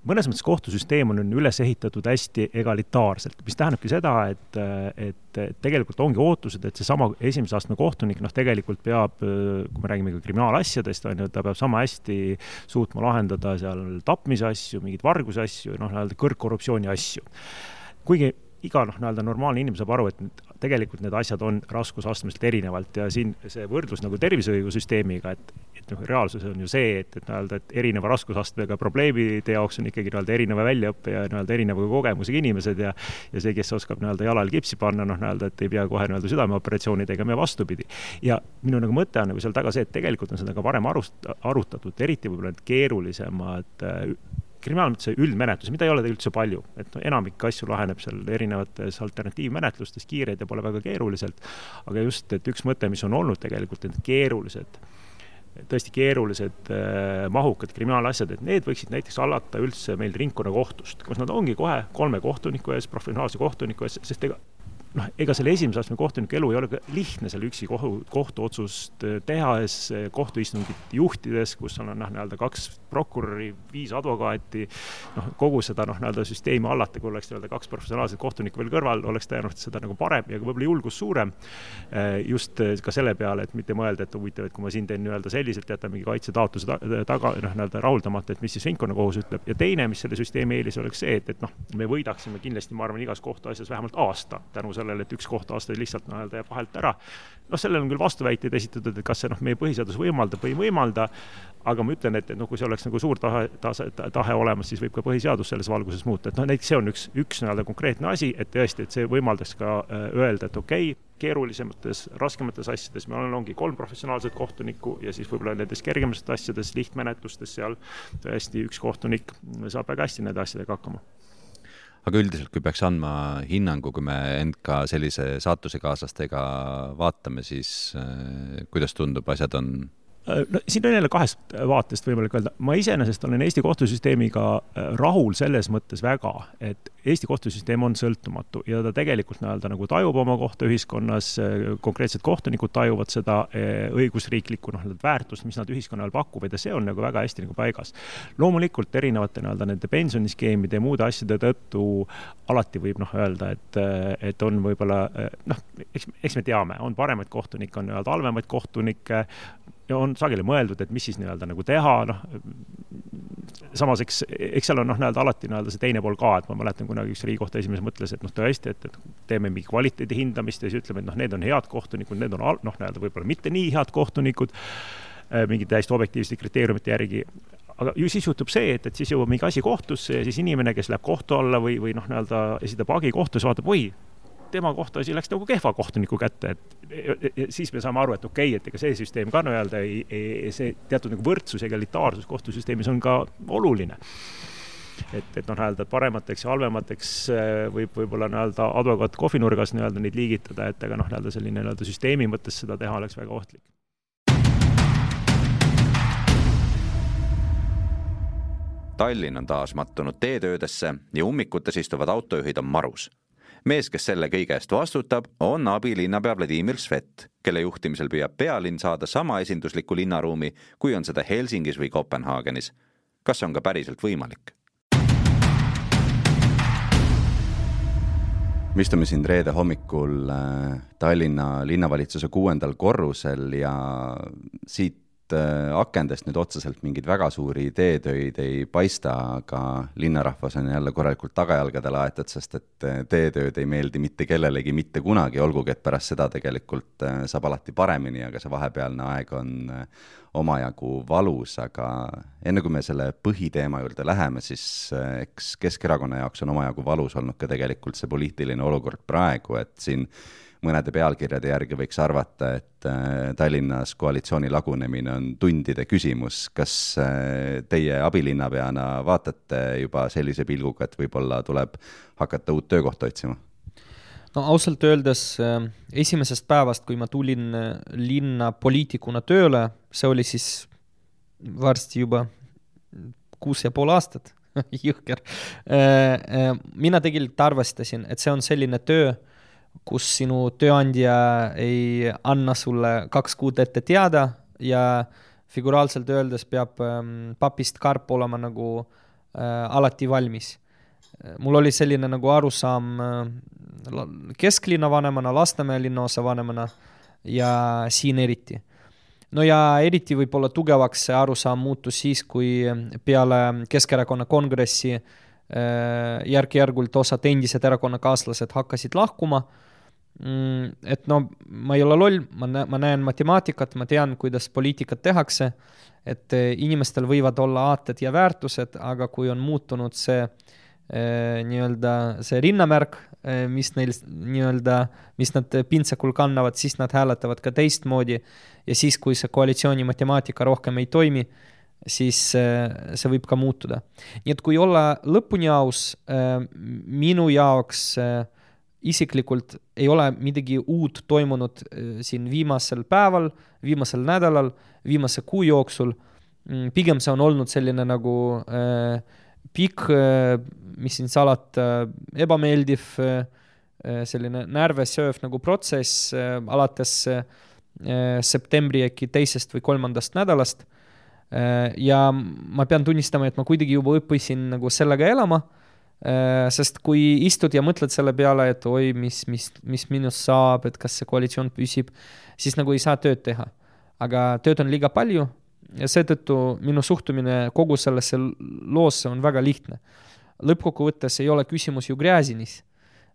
mõnes mõttes kohtusüsteem on üles ehitatud hästi egalitaarselt, mis tähendabki seda, et tegelikult ongi ootused, et see sama esimese astme kohtunik tegelikult peab, kui me räägime ka kriminaalasjadest, ta peab sama hästi suutma lahendada seal tapmise asju, mingid varguse asju, kõrgkorruptsiooni asju. Kuigi iga normaalne inimene saab aru, et tegelikult need asjad on raskusastmest erinevalt ja siin see võrdlus tervishoiusüsteemiga, et reaalsus on ju see, et erineva raskusastmega probleemide jaoks on ikkagi erineva väljaõppe ja erineva kogemusega inimesed ja see, kes oskab jalal kipsi panna, et ei pea kohe südameoperatsiooni tegema ja vastupidi. Ja minu mõte on seal taga see, et tegelikult on seda ka varem arutatud, eriti võib-olla keerulisemad kriminaalmenetluse üldmenetlus, mida ei ole üldse palju, et enamik asju laheneb seal erinevates alternatiivmenetlustes, kiireid ja pole väga keeruliselt, aga just, et üks mõte, mis on olnud tegelikult tõesti keerulised mahukad kriminaalasjad, et need võiksid näiteks alata üldse meil ringkonnakohtust, kus nad ongi kohe 3 kohtuniku ees, professionaalse kohtuniku ees, sest ega selle esimese astme kohtuniku elu ei ole lihtne selle üksi kohtuotsust tehes, kohtuistungit juhtides, kus on nii-öelda 2 prokuröri, 5 advokaati, kogu seda nii-öelda süsteemi allata, kui oleks nii-öelda 2 professionaalset kohtunikku veel kõrval, oleks tõenäoliselt seda nagu parem ja võib-olla julgus suurem just ka selle peale, et mitte mõelda, et huvitav, et kui ma siin teen nii-öelda selliselt, jätan mingi kaitsetaotluse taga nii-öelda rahuldamata, et mis siis ringkonnakohus ütleb. Ja teine, mis selle süsteemi eelis oleks see, et me võidaksime kindlasti, ma arvan, igas kohtuasjas vähemalt aasta tänu sellele, et 1 kohtuaasta lihtsalt nii-öelda jääb vahelt ära. Sellel on küll vastuväiteid esitatud, et kas see meie põhiseadus võimaldab või ei võimalda, aga ma ütlen, et kui see oleks nagu suur tahe olemas, siis võib ka põhiseadus selles valguses muuta. Et näiteks see on üks nii-öelda konkreetne asi, et tõesti, et see võimaldaks ka öelda, et okei, keerulisemates, raskemates asjades meil ongi 3 professionaalset kohtunikku ja siis võib-olla nendes kergematest asjades, lihtmenetlustes seal tõesti 1 kohtunik saab väga hästi nende asjadega hakkama. Aga üldiselt, kui peaks andma hinnangu, kui me end ka sellise saatusekaaslastega vaatame, siis kuidas tundub, asjad on? Siin on jälle 2 vaatest võimalik öelda. Ma iseenesest olen Eesti kohtusüsteemiga rahul selles mõttes väga, et Eesti kohtusüsteem on sõltumatu ja ta tegelikult nagu tajub oma kohta ühiskonnas, konkreetsed kohtunikud tajuvad seda õigusriiklikku väärtust, mis nad ühiskonnal pakuvad ja see on väga hästi paigas. Loomulikult erinevate nende pensioniskeemide ja muude asjade tõttu alati võib öelda, et on võib-olla, eks me teame, on paremaid kohtunikke, on halvemaid kohtunikke, ja on sageli mõeldud, et mis siis nagu teha, samas eks seal on alati see teine pool ka, et ma mäletan kunagi üks Riigikohtu esimees mõtles, et tõesti, et teeme mingi kvaliteedi hindamist ja siis ütleme, et need on head kohtunikud, need on võib-olla mitte nii head kohtunikud, mingi täiesti objektiivsete kriteeriumite järgi. Aga ju siis juhtub see, et siis jõuab mingi asi kohtusse ja siis inimene, kes läheb kohtu alla või esitab hagi kohtus, vaatab, tema kohta asi läks kehva kohtuniku kätte, et siis me saame aru, et okei, et ega see süsteem ka see teatud võrdsus ja egalitaarsus kohtusüsteemis on ka oluline. Et paremateks ja halvemateks võib-olla advokaat kohvinurgas neid liigitada, et aga selline süsteemi mõttes seda teha oleks väga ohtlik. Tallinn on taas mattunud teetöödesse ja ummikutes istuvad autojuhid on marus. Mees, kes selle kõige eest vastutab, on abilinnapea Vladimir Svet, kelle juhtimisel püüab pealinn saada sama esindusliku linnaruumi, kui on seda Helsingis või Kopenhaagenis. Kas see on ka päriselt võimalik? Me istume siin reede hommikul Tallinna linnavalitsuse 6. korrusel ja siit akendest nüüd otseselt mingid väga suuri teetöid ei paista, aga linnarahvas on jälle korralikult tagajalgadele aetud, sest et teetööd ei meeldi mitte kellelegi mitte kunagi, olgugi et pärast seda tegelikult saab alati paremini, aga see vahepealne aeg on omajagu valus, aga enne kui me selle põhiteema juurde läheme, siis eks Keskerakonna jaoks on omajagu valus olnud ka tegelikult see poliitiline olukord praegu, et siin mõnede pealkirjade järgi võiks arvata, et Tallinnas koalitsiooni lagunemine on tundide küsimus. Kas teie abilinnapeana vaatate juba sellise pilguga, et võib-olla tuleb hakata uut töökohta otsima? No ausalt öeldes esimesest päevast, kui ma tulin linna poliitikuna tööle, see oli siis varsti juba 6,5 aastat, jõhker. Mina tegelikult arvestasin, et see on selline töö, kus sinu tööandja ei anna sulle 2 kuud ette teada ja figuraalselt öeldes peab papist karp olema alati valmis. Mul oli selline arusaam kesklinna vanemana, Lasnamäe linnaosa vanemana ja siin eriti. No ja eriti võib-olla tugevaks see arusaam muutus siis, kui peale Keskerakonna kongressi järk-järgult osad endised erakonnakaaslased hakkasid lahkuma. Et ma ei ole loll, ma näen matemaatikat, ma tean, kuidas poliitikat tehakse, et inimestel võivad olla aated ja väärtused, aga kui on muutunud see see rinnamärk, mis nad pintsakul kannavad, siis nad hääletavad ka teistmoodi ja siis, kui see koalitsiooni matemaatika rohkem ei toimi, siis see võib ka muutuda. Nii et kui olla lõpuni aus, minu jaoks isiklikult ei ole midagi uut toimunud siin viimasel päeval, viimasel nädalal, viimase kuu jooksul. Pigem see on olnud selline pikk, mis siin salata, ebameeldiv selline närvesööv nagu protsess alates septembri äkki 2. või 3. nädalast. Ja ma pean tunnistama, et ma kuidagi juba õppisin nagu sellega elama, sest kui istud ja mõtled selle peale, et oi, mis minust saab, et kas see koalitsioon püsib, siis nagu ei saa tööd teha. Aga tööd on liiga palju ja seetõttu minu suhtumine kogu sellesse loosse on väga lihtne. Lõppkokkuvõttes ei ole küsimus ju Gräzinis,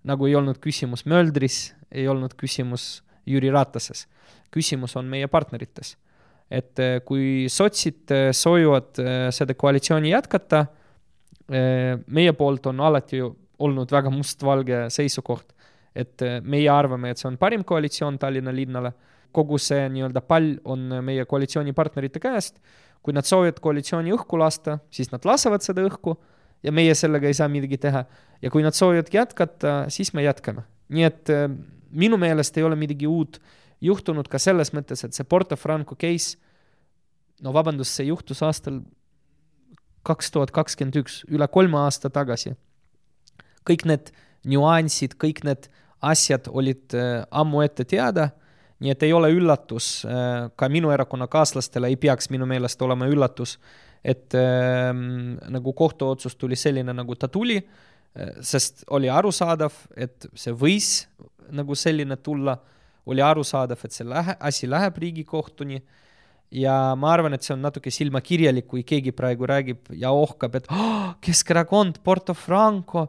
nagu ei olnud küsimus Möldris, ei olnud küsimus Jüri Ratases. Küsimus on meie partnerites. Et kui sotsid soovivad seda koalitsiooni jätkata, meie poolt on alati olnud väga mustvalge seisukoht, et meie arvame, et see on parim koalitsioon Tallinna linnale. Kogu see nii-öelda pall on meie koalitsioonipartnerite käest. Kui nad soovivad koalitsiooni õhku lasta, siis nad lasavad seda õhku ja meie sellega ei saa midagi teha. Ja kui nad soovivad jätkata, siis me jätkame. Nii et minu meelest ei ole midagi uut juhtunud ka selles mõttes, et see Porto Franco case, no vabandust, see juhtus aastal 2021, üle 3 aasta tagasi. Kõik need nüansid, kõik need asjad olid ammu ette teada, nii et ei ole üllatus, ka minu erakonnakaaslastele ei peaks minu meelest olema üllatus, et nagu kohtuotsus tuli selline, nagu ta tuli, sest oli arusaadav, et see võis nagu selline tulla, oli arusaadav, et see asi läheb Riigikohtuni ja ma arvan, et see on natuke silmakirjalik, kui keegi praegu räägib ja ohkab, et Keskerakond, Porto Franco,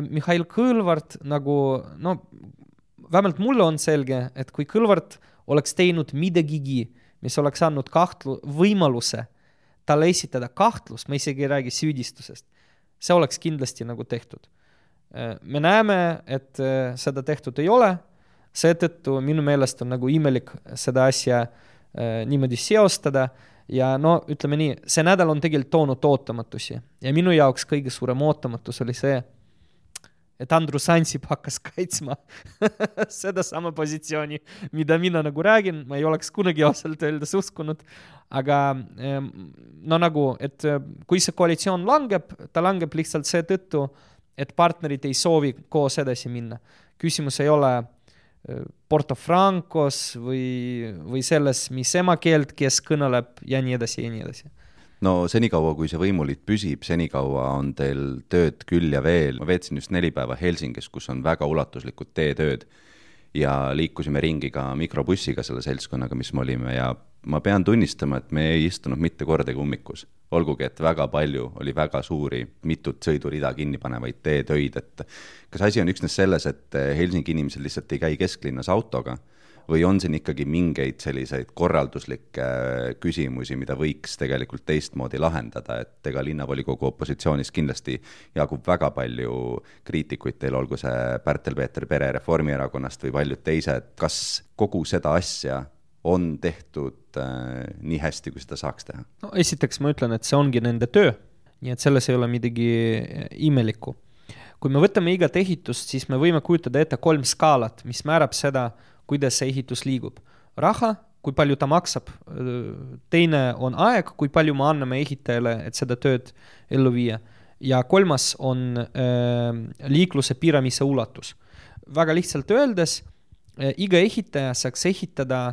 Mihhail Kõlvart, nagu, no vähemalt mulle on selge, et kui Kõlvart oleks teinud midagigi, mis oleks andnud võimaluse talle esitada kahtlus, ma isegi ei räägi süüdistusest, see oleks kindlasti nagu tehtud. Me näeme, et seda tehtud ei ole, seetõttu minu meelest on nagu imelik seda asja niimoodi seostada ja no ütleme nii, see nädal on tegelikult toonud ootamatusi ja minu jaoks kõige suurem ootamatus oli see, et Andrus Ansip hakkas kaitsma seda sama positsiooni, mida mina nagu räägin, ma ei oleks kunagi ausalt öeldes uskunud, aga no nagu, et kui see koalitsioon langeb, ta langeb lihtsalt seetõttu, et partnerid ei soovi koos edasi minna. Küsimus ei ole Porto Francos või selles, mis emakeelt, kes kõneleb ja nii edasi ja nii edasi. No senikaua, kui see võimuliit püsib, senikaua on teil tööd küll ja veel. Ma veetsin just 4 päeva Helsingis, kus on väga ulatuslikud teetööd ja liikusime ringi ka mikrobussiga selle seltskonnaga, mis me olime ja ma pean tunnistama, et me ei istunud mitte kordagi ummikus. Olgugi, et väga palju oli väga suuri, mitut sõidurida kinni panevaid teetöid, et kas asi on üksnes selles, et Helsingi inimesed lihtsalt ei käi kesklinnas autoga või on siin ikkagi mingeid selliseid korralduslikke küsimusi, mida võiks tegelikult teistmoodi lahendada, et ega linnavolikogu opositsioonis kindlasti jagub väga palju kriitikuid teil, olgu see Pärtel-Peeter Pere Reformierakonnast või paljud teised, kas kogu seda asja on tehtud nii hästi, kui seda saaks teha? No esiteks ma ütlen, et see ongi nende töö, nii et selles ei ole midagi imelikku. Kui me võtame igat ehitust, siis me võime kujutada ette 3 skaalat, mis määrab seda, kuidas see ehitus liigub. Raha, kui palju ta maksab, teine on aeg, kui palju me anname ehitajale, et seda tööd ellu viia. Ja 3 on liikluse piiramise ulatus. Väga lihtsalt öeldes, iga ehitaja saaks ehitada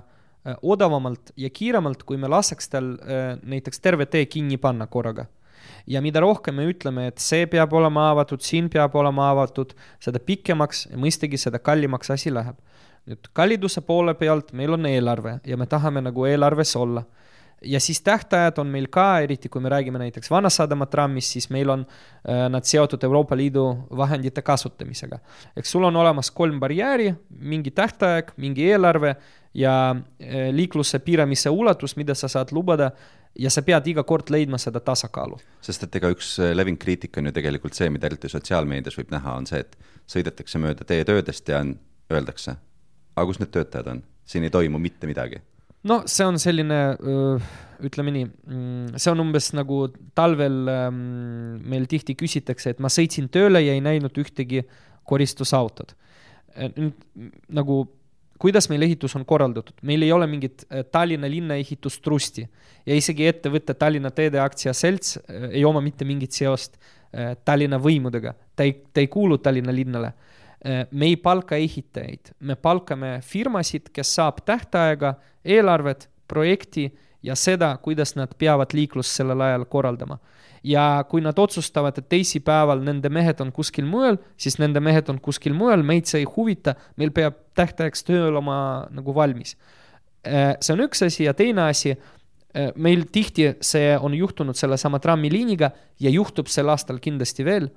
odavamalt ja kiiremalt, kui me laseks tal näiteks terve tee kinni panna korraga. Ja mida rohkem me ütleme, et see peab olema avatud, siin peab olema avatud, seda pikemaks ja mõistagi seda kallimaks asi läheb. Nüüd kalliduse poole pealt meil on eelarve ja me tahame nagu eelarves olla. Ja siis tähtajad on meil ka, eriti kui me räägime näiteks Vanasadama trammist, siis meil on nad seotud Euroopa Liidu vahendite kasutamisega. Eks sul on olemas 3 barjääri, mingi tähtaeg, mingi eelarve ja liikluse piiramise ulatus, mida sa saad lubada ja sa pead iga kord leidma seda tasakaalu. Sest et ega üks leving kriitika on ju tegelikult see, mida eriti sotsiaalmeedias võib näha, on see, et sõidetakse mööda teetöödest ja öeldakse, aga kus need töötajad on? Siin ei toimu mitte midagi. No see on selline, ütleme nii, see on umbes nagu talvel meil tihti küsitakse, et ma sõitsin tööle ja ei näinud ühtegi koristusautot. Nagu kuidas meil ehitus on korraldatud? Meil ei ole mingit Tallinna linna ehitustrusti ja isegi ettevõtte Tallinna teede aktsiaselts ei oma mitte mingit seost Tallinna võimudega. Ta ei kuulu Tallinna linnale. Me ei palka ehitajaid, me palkame firmasid, kes saab tähtaega, eelarvet, projekti ja seda, kuidas nad peavad liiklust sellel ajal korraldama. Ja kui nad otsustavad, et teisipäeval nende mehed on kuskil mujal, siis nende mehed on kuskil mujal, meid see ei huvita, meil peab tähtajaks töö olema nagu valmis. See on üks asi ja teine asi, meil tihti see on juhtunud selle sama trammiliiniga ja juhtub sel aastal kindlasti veel,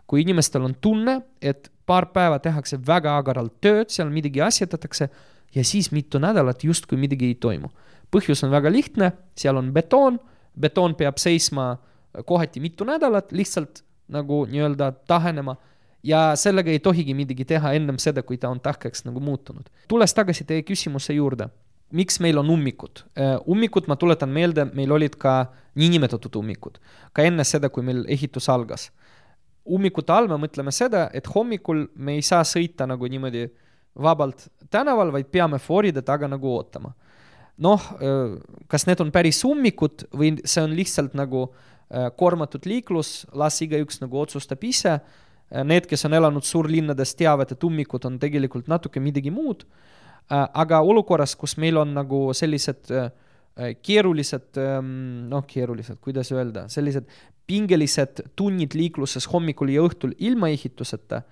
kui inimestel on tunne, et paar päeva tehakse väga agaralt tööd, seal midagi asjatatakse ja siis mitu nädalat justkui midagi ei toimu. Põhjus on väga lihtne, seal on betoon peab seisma kohati mitu nädalat, lihtsalt nagu nii-öelda tahenema ja sellega ei tohigi midagi teha ennem seda, kui ta on tahkeks nagu muutunud. Tules tagasi teie küsimuse juurde. Miks meil on ummikud? Ummikud, ma tuletan meelde, meil olid ka niinimetatud ummikud. Ka enne seda, kui meil ehitus algas. Ummikute all me mõtleme seda, et hommikul me ei saa sõita nagu niimoodi vabalt tänaval, vaid peame fooride taga nagu ootama. Kas need on päris ummikud või see on lihtsalt nagu kormatud liiklus, las igaüks nagu otsustab ise. Need, kes on elanud suurlinnades, teavad, et ummikud on tegelikult natuke midagi muud. Aga olukorras, kus meil on nagu sellised keerulised, kuidas öelda, sellised pingelised tunnid liikluses hommikul ja õhtul ilma ehituseta,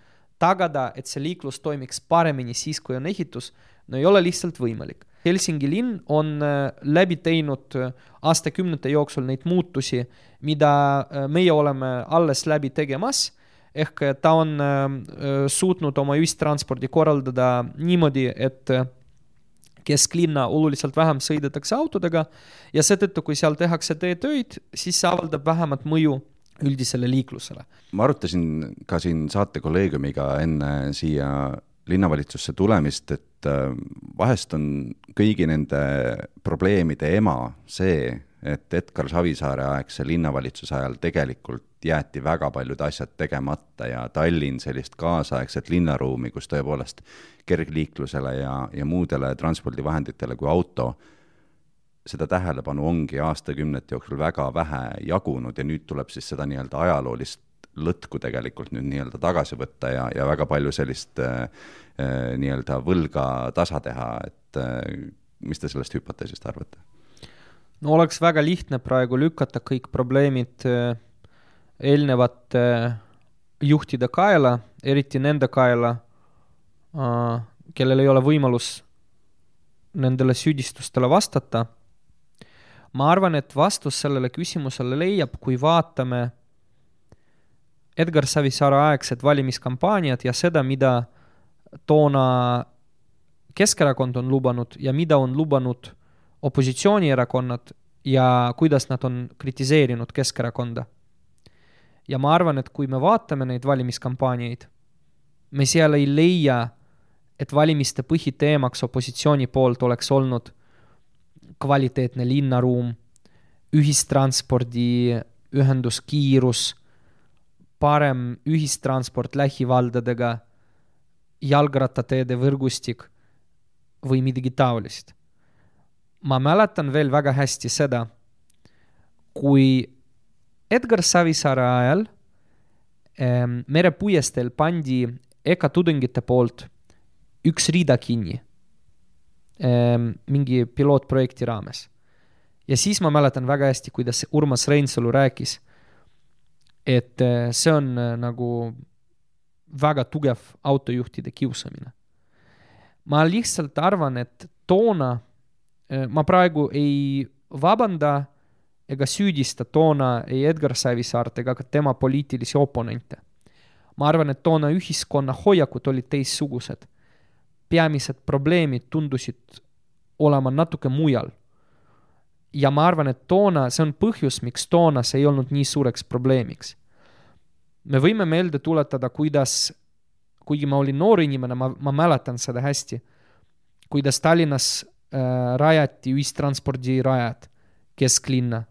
tagada, et see liiklus toimiks paremini siis, kui on ehitus, no ei ole lihtsalt võimalik. Helsingi linn on läbi teinud aastakümnete jooksul neid muutusi, mida meie oleme alles läbi tegemas, ehk ta on suutnud oma ühistranspordi korraldada niimoodi, et kesklinna oluliselt vähem sõidetakse autodega ja seetõttu, kui seal tehakse teetöid, siis see avaldab vähemat mõju üldisele liiklusele. Ma arutasin ka siin saatekolleegiumiga enne siia linnavalitsusse tulemist, et vahest on kõigi nende probleemide ema see, et Edgar Savisaare aegse linnavalitsuse ajal tegelikult jäeti väga paljud asjad tegemata ja Tallinn sellist kaasaegset linnaruumi, kus tõepoolest kergliiklusele ja muudele transpordivahenditele kui auto, seda tähelepanu ongi aastakümnete jooksul väga vähe jagunud ja nüüd tuleb siis seda nii-öelda ajaloolist lõtku tegelikult nüüd nii-öelda tagasi võtta ja väga palju sellist nii-öelda võlga tasa teha, et mis te sellest hüpoteesist arvate? No oleks väga lihtne praegu lükata kõik probleemid eelnevate juhtide kaela, eriti nende kaela, kellel ei ole võimalus nendele süüdistustele vastata. Ma arvan, et vastus sellele küsimusele leiab, kui vaatame Edgar Savisaare aegset valimiskampaaniat ja seda, mida toona Keskerakond on lubanud ja mida on lubanud opositsioonierakonnad ja kuidas nad on kritiseerinud Keskerakonda. Ja ma arvan, et kui me vaatame neid valimiskampaaniaid, me seal ei leia, et valimiste põhiteemaks opositsiooni poolt oleks olnud kvaliteetne linnaruum, ühistranspordi ühenduskiirus, parem ühistransport lähivaldadega, jalgrattateede võrgustik või midagi taolist. Ma mäletan veel väga hästi seda, kui Edgar Savisaare ajal merepuiestel pandi EKA tudengite poolt üks rida kinni mingi pilootprojekti raames. Ja siis ma mäletan väga hästi, kuidas Urmas Reinsalu rääkis, et see on nagu väga tugev autojuhtide kiusamine. Ma lihtsalt arvan, et toona ma praegu ei vabanda ega süüdista toona ei Edgar Savisaart ega ka tema poliitilisi oponente. Ma arvan, et toona ühiskonna hoiakud olid teissugused. Peamised probleemid tundusid olema natuke mujal. Ja ma arvan, et toona, see on põhjus, miks toona see ei olnud nii suureks probleemiks. Me võime meelde tuletada, kuidas, kuigi ma olin noor inimene, ma mäletan seda hästi, kuidas Tallinnas rajati ühistranspordirajad kesklinna,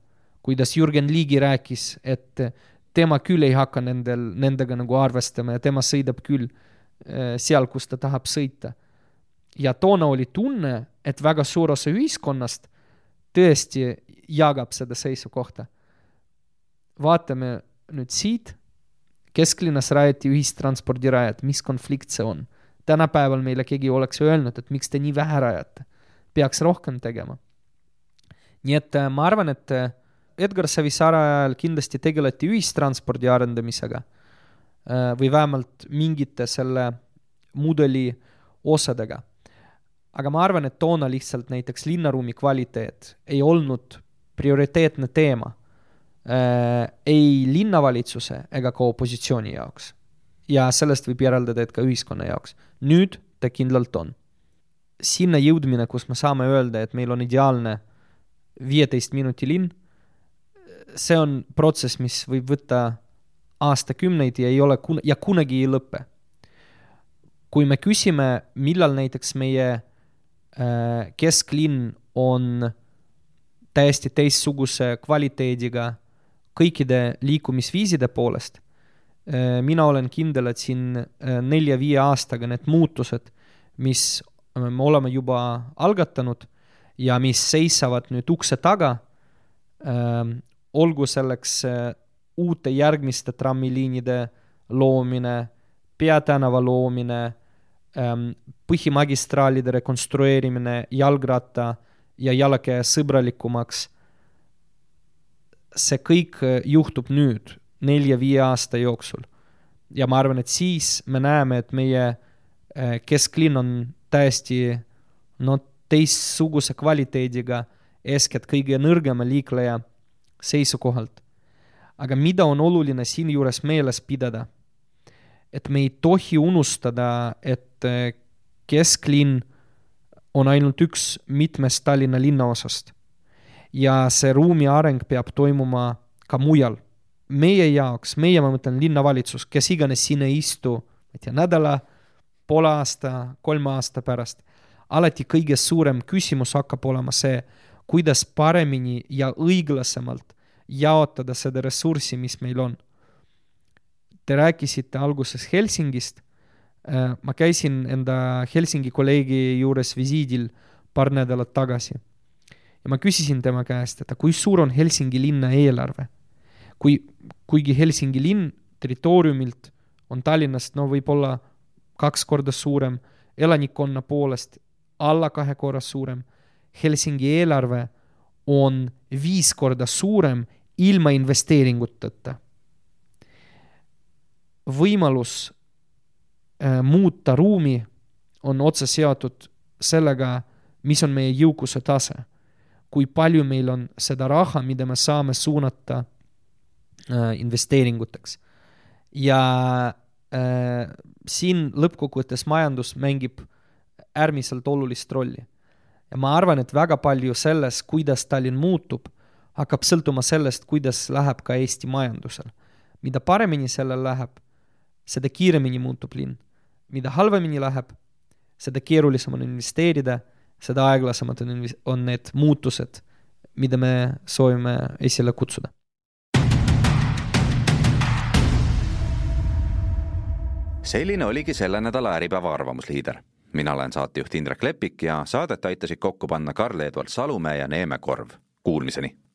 kuidas Jürgen Ligi rääkis, et tema küll ei hakka nendega nagu arvestama ja tema sõidab küll seal, kus ta tahab sõita. Ja toona oli tunne, et väga suur osa ühiskonnast tõesti jagab seda seisukohta. Vaatame nüüd siit, kesklinnas rajati ühistranspordirajad, mis konflikt see on? Tänapäeval meile keegi oleks öelnud, et miks te nii vähe rajate, peaks rohkem tegema. Nii et ma arvan, et Edgar Savisaare ajal kindlasti tegeleti ühistranspordi arendamisega või vähemalt mingite selle mudeli osadega. Aga ma arvan, et toona lihtsalt näiteks linnaruumi kvaliteet ei olnud prioriteetne teema ei linnavalitsuse ega ka opositsiooni jaoks. Ja sellest võib järeldada, et ka ühiskonna jaoks. Nüüd ta kindlalt on. Sinna jõudmine, kus me saame öelda, et meil on ideaalne 15 minuti linn, see on protsess, mis võib võtta aastakümneid ja, ja kunagi ei lõppe. Kui me küsime, millal näiteks meie kesklinn on täiesti teistsuguse kvaliteediga kõikide liikumisviiside poolest, mina olen kindel, et siin 4-5 aastaga need muutused, mis me oleme juba algatanud ja mis seisavad nüüd ukse taga, olgu selleks uute järgmiste trammiliinide loomine, peatänava loomine, põhimagistraalide rekonstrueerimine, jalgratta ja jalakäe sõbralikumaks. See kõik juhtub nüüd 4-5 aasta jooksul. Ja ma arvan, et siis me näeme, et meie kesklinn on täiesti teistsuguse kvaliteediga eeskätt kõige nõrgema liikleja seisukohalt. Aga mida on oluline siin juures meeles pidada? Et me ei tohi unustada, et kesklinn on ainult üks mitmest Tallinna linnaosast. Ja see ruumi areng peab toimuma ka mujal. Meie jaoks, ma mõtlen linnavalitsus, kes iganes siin ei istu, nädala, poole aasta, 3 aasta pärast, alati kõige suurem küsimus hakkab olema see, kuidas paremini ja õiglasemalt jaotada seda ressurssi, mis meil on. Te rääkisite alguses Helsingist. Ma käisin enda Helsingi kolleegi juures visiidil paar nädalat tagasi. Ja ma küsisin tema käest, et kui suur on Helsingi linna eelarve? Kuigi Helsingi linn territooriumilt on Tallinnast võib-olla 2 korda suurem, elanikkonna poolest alla 2 korda suurem, Helsingi eelarve on 5 korda suurem ilma investeeringuteta. Võimalus muuta ruumi on otse seotud sellega, mis on meie jõukuse tase. Kui palju meil on seda raha, mida me saame suunata investeeringuteks. Ja siin lõppkokkuvõttes majandus mängib äärmiselt olulist rolli. Ja ma arvan, et väga palju selles, kuidas Tallinn muutub, hakkab sõltuma sellest, kuidas läheb ka Eesti majandusel. Mida paremini sellel läheb, seda kiiremini muutub linn. Mida halvemini läheb, seda keerulisem on investeerida, seda aeglasemad on need muutused, mida me soovime esile kutsuda. Selline oligi selle nädala Äripäeva arvamusliider. Mina olen saatejuht Indrek Lepik ja saadet aitasid kokku panna Karl-Edward Salumäe ja Neeme Korv. Kuulmiseni!